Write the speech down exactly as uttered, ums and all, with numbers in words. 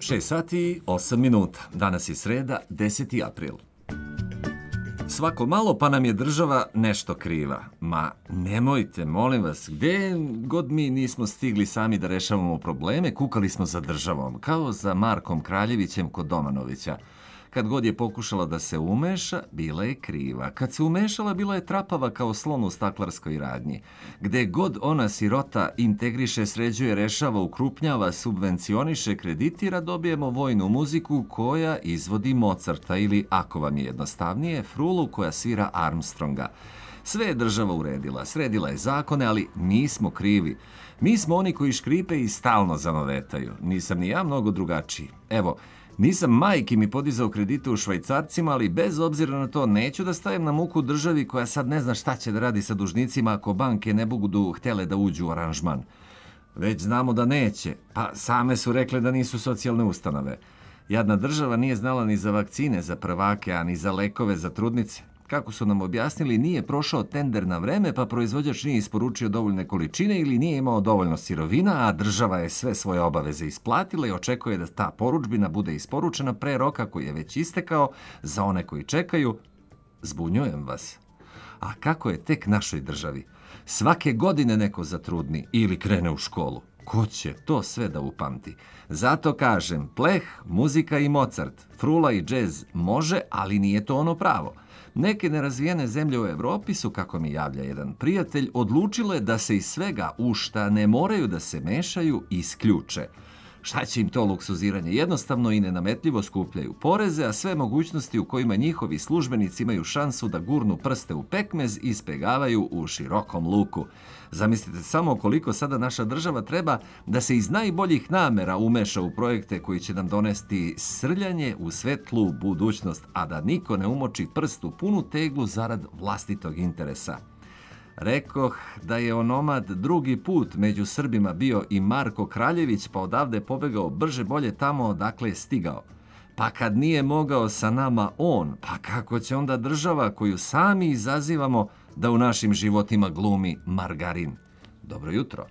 šest sati i osam minuta. Danas je sreda, deseti april. Svako malo pa nam je država nešto kriva. Ma nemojte, molim vas, gde god mi nismo stigli sami da rešavamo probleme, kukali smo za državom, kao za Markom Kraljevićem kod Domanovića. Kad god je pokušala da se umeša, bila je kriva. Kad se umešala, bila je trapava kao slon u staklarskoj radnji. Gde god ona sirota integriše, sređuje, rešava, ukrupnjava, subvencioniše, kreditira, dobijemo vojnu muziku koja izvodi Mozarta ili, ako vam je jednostavnije, frulu koja svira Armstronga. Sve je država uredila, sredila je zakone, ali mi smo krivi. Mi smo oni koji škripe i stalno zanovetaju. Nisam ni ja mnogo drugačiji. Evo, nisam majki mi podizao kredite u švajcarcima, ali bez obzira na to neću da stajem na muku državi koja sad ne zna šta će da radi sa dužnicima ako banke ne budu htjele da uđu u aranžman. Već znamo da neće, pa same su rekle da nisu socijalne ustanove. Jadna država nije znala ni za vakcine za prvake, a ni za lekove za trudnice. Kako su nam objasnili, nije prošao tender na vreme, pa proizvođač nije isporučio dovoljne količine ili nije imao dovoljno sirovina, a država je sve svoje obaveze isplatila i očekuje da ta poručbina bude isporučena pre roka koji je već istekao. Za one koji čekaju, zbunjujem vas. A kako je tek našoj državi? Svake godine neko zatrudni ili krene u školu. Ko će to sve da upamti? Zato kažem, pleh, muzika i Mozart, frula i džez može, ali nije to ono pravo. Neke nerazvijene zemlje u Evropi su, kako mi javlja jedan prijatelj, odlučile da se iz svega u šta ne moraju da se mešaju isključe. Šta će im to luksuziranje? Jednostavno i nenametljivo skupljaju poreze, a sve mogućnosti u kojima njihovi službenici imaju šansu da gurnu prste u pekmez ispegavaju u širokom luku. Zamislite samo koliko sada naša država treba da se iz najboljih namera umeša u projekte koji će nam donesti srljanje u svetlu budućnost, a da niko ne umoči prst u punu teglu zarad vlastitog interesa. Rekoh da je onomad drugi put među Srbima bio i Marko Kraljević, pa odavde pobegao brže bolje tamo odakle je stigao. Pa kad nije mogao sa nama on, pa kako će onda država koju sami izazivamo da u našim životima glumi margarin? Dobro jutro.